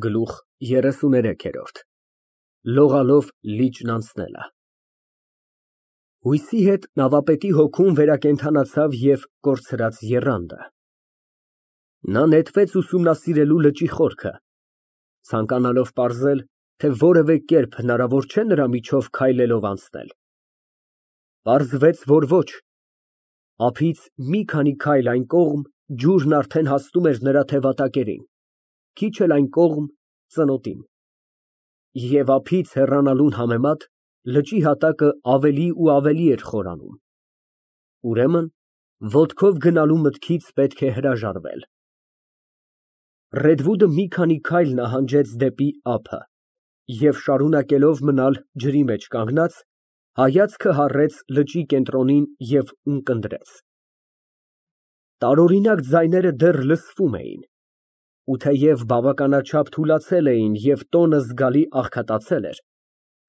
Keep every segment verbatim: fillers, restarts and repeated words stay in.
Գլուխ երեսուներեք։ Լողալով լիճն անցնելը։ Հույսի հետ նավապետի հոգում վերակենդանացավ և կորցրած եռանդը։ Նա նետվեց ուսումնասիրելու լճի խորքը, ցանկանալով պարզել, թե որևէ կերպ հնարավոր չէ նրա միջով քայլելով անցնել։ Պարզվեց, որ ոչ, ափից մի քանի քայլ այն կողմ ջուրն արդեն հասնում էր նրա թևատակերին, քիչ էլ այն կողմ ծնոտին, և ափից հեռանալուն համեմատ լճի հատակը ավելի ու ավելի էր խորանում։ Ուրեմն ոտքով գնալու մտքից պետք է հրաժարվել։ Ռեդվուդը մի քանի քայլ նահանջեց դեպի ափը և, շարունակելով մնալ ջրի մեջ կանգնած, հայացքը հառեց լճի կենտրոնին և ունկնդրեց։ Տարօրինակ ձայները դեռ լսվում էին, ու թեև բավականաչափ թուլացել էին և տոնը զգալի աղքատացել էր,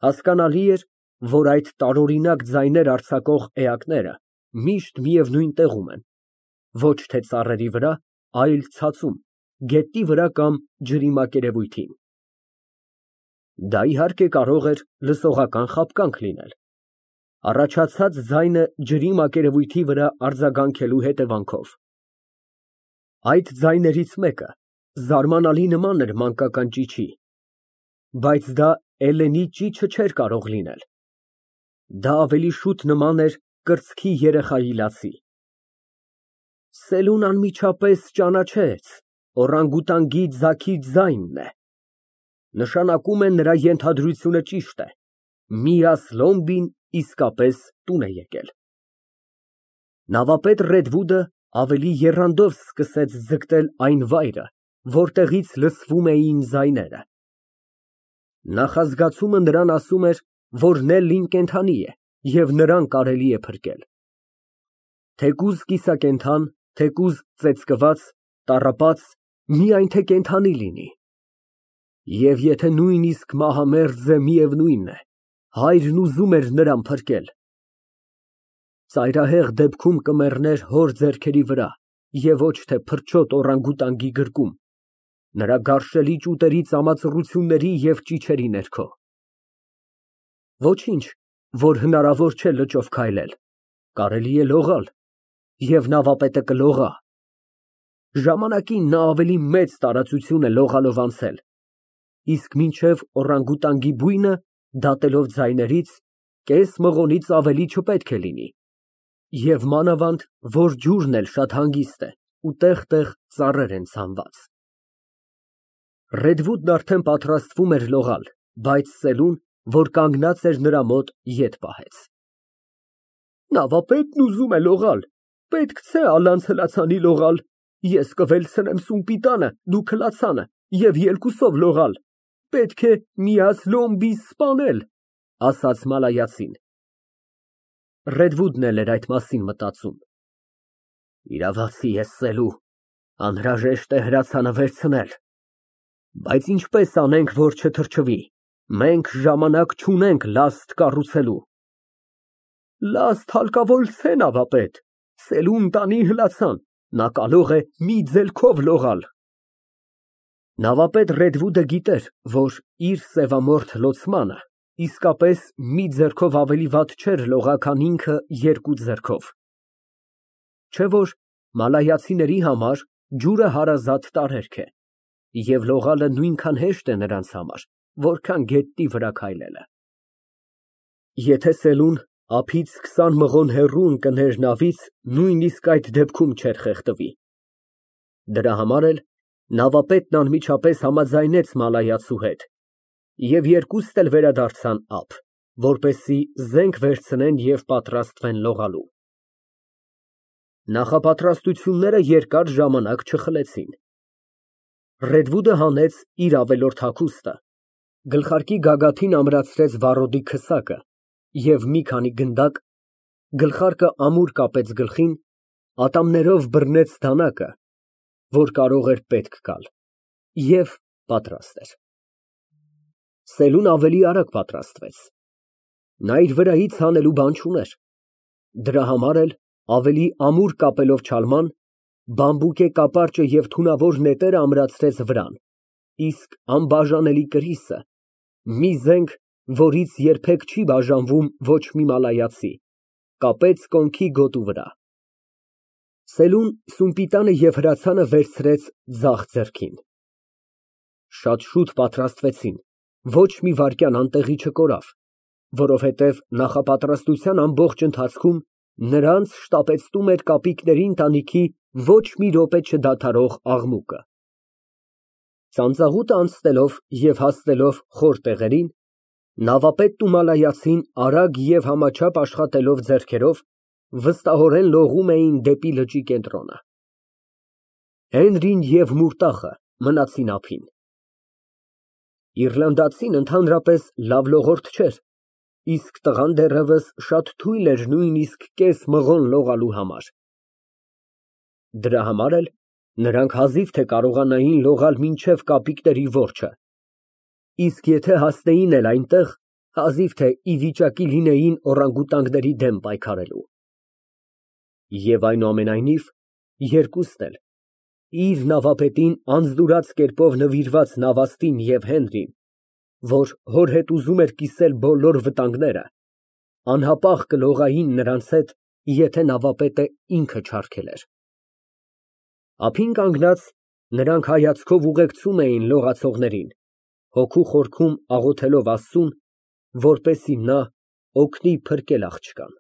հասկանալի էր, որ այդ տարօրինակ ձայներ արձակող էակները միշտ միևնույն տեղում են, ոչ թե ծառերի վրա, այլ ցածում, գետնի վրա կամ ջրի մակերևույթին։ Դա, իհարկե, կարող էր լսողական խաբկանք լինել, առաջացած ձայնը ջրի մակերևույթի վրա արձագանքելու հետևանքով։ Այդ ձայներից մեկը զարմանալի նման էր մանկական ճիչի, բայց դա Էլենի ճիչը չէր կարող լինել։ Դա ավելի շուտ նման էր կրծքի երեխայի լացի։ Սելուն անմիջապես ճանաչեց, օռանգուտանգի ձագի ձայնն է, նշանակում է նրա ենթադրությունը ճիշտ է, Միաս Լոմբին իսկապես տուն է եկել։ Նավապետ Ռեդվուդը ավելի եռանդով սկսեց ձգտել այն վայրը, որտեղից լսվում էին ձայները։ Նախազգացումը նրան ասում էր, որ Նելլին կենդանի է և նրան կարելի է փրկել։ Թեկուզ կիսակենդան, թեկուզ ծեծկված, տառապած, միայն թե կենդանի լինի։ Եվ եթե նույնիսկ մահամերձ է, միևնույն է, հայրն ուզում էր նրան փրկել։ Ծայրահեղ դեպքում կմեռներ հոր ձեռքերի վրա և ոչ թե փրչոտ օռանգուտանգի գրկում, նրա գարշելի ճուտերի ծամածռությունների և ճիչերի ներքո։ Ոչինչ, որ հնարավոր չէ լճով քայլել, կարելի է լողալ, և նավապետը կլողա։ Ժամանակին նա ավելի մեծ տարածություն է լողալով անցել, իսկ մինչև օռանգուտանգի բույնը, դատելով ձայներից, կես մղոնից ավելի չպետք է լինի, և մանավանդ, որ ջուրն էլ շատ հանգիստ է ու տեղ֊տեղ ծառեր են ցանված։ Ռեդվուդն արդեն պատրաստվում էր լողալ, բայց Սելուն, որ կանգնած էր նրա մոտ, ետ պահեց։ Նավապետն ուզում է լողալ, պետք չէ ալանց հլացանի լողալ, ես կվելցնեմ սումպիտանը, դուք հլացանը և երկուսով լողալ, պետք է Միաս Լոմբի սպանել, ասաց մալայացին։ Ռեդվուդն էլ էր այդ մասին մտածում։ Իրավացի ես, Սելու, անհրաժեշտ է հրացանը վերցնել, բայց ինչպես անենք, որ չթրջվի, մենք ժամանակ չունենք լաստ կառուցելու։ Լաստ հարկավոր չէ, նավապետ, Սելուն տանի հլացան, նա կարող է մի ձելքով լողալ։ Նավապետ Ռեդվուդը գիտեր, որ իր սևամորթ լոցմանը իսկապես մի ձեռքով ավելի վատ չէր լողա, քան ինքը երկու ձեռքով։ Չէ որ մալայացիների համար ջուրը հարազատ տարերք է, և լողալը նույնքան հեշտ է նրանց համար, որքան գետնի վրա քայլելը։ Եթե Սելուն ափից քսան մղոն հեռու ընկներ նավից, նույնիսկ այդ դեպքում չէր խեղդվի։ Դրա համար էլ նավապետն անմիջապես համաձայնեց մալայացու հետ, և երկուստ էլ վերադարձան ափ, որպեսզի զենք վերցնեն և պատրաստվեն լողալու։ Նախապատրաստությունները երկար ժամանակ չխլեցին։ Ռեդվուդը հանեց իր ավելորդ հագուստը, գլխարկի գագաթին ամրացրեց վառոդի քսակը և մի քանի գնդակ, գլխարկը ամուր կապեց գլխին, ատամներով բռնեց դանակը, որ կարող էր պետք գալ, և պատրաստ էր։ Սելուն ավելի արագ պատրաստվեց։ Նա իր վրայից հանելու բան չուներ, դրա համար էլ, ավելի ամուր կապելով չալման, բամբուկե կապարճը և թունավոր նետերը ամրացրեց վրան, իսկ անբաժանելի կրիսը, մի զենք, որից երբեք չի բաժանվում ոչ մի մալայացի, կապեց կոնքի գոտու վրա։ Սելուն սումպիտանը և հրացանը վերցրեց ձախ ձեռքին։ Շատ շուտ պատրաստվեցին, ոչ մի վայրկյան անտեղի չկորավ, որովհետև նախապատրաստության ամբողջ ընթացքում նրանց շտապեցնում էր կապիկների ընտանիքի ոչ մի րոպե չդադարող աղմուկը։ Ծանծաղուտը անցնելով և հասնելով խոր տեղերին, նավապետն ու մալայացին արագ և համաչափ աշխատելով ձեռքերով, վստահորեն լողում էին դեպի լճի կենտրոնը։ Հենրին և Մուրտախը մնացին ափին։ Իռլանդացին ընդհանրապես լավ լողորդ չէր, իսկ տղան դեռևս շատ թույլ էր նույնիսկ կես մղոն լողալու համար։ Դրա համար էլ նրանք հազիվ թե կարողանային լողալ մինչև կապիկների որջը, իսկ եթե հասնեին էլ այնտեղ, հազիվ թե ի վիճակի լինեին օրանգուտանգների դեմ պայքարելու։ Եվ այնուամենայնիվ, երկուսն էլ, իր նավապետին անձնուրաց կերպով նվիրված Նավաստին և Հենրին, որ հոր հետ ուզում էր կիսել բոլոր վտանգները, անհապաղ կլողային նրանց հետ, եթե նավապետը ինքը չարգելեր։ Ափին կանգնած, նրանք հայացքով ուղեկցում էին լողացողներին, հոգու խորքում աղոթելով Աստծուն, որպեսզի նա օգնի փրկել աղջկան։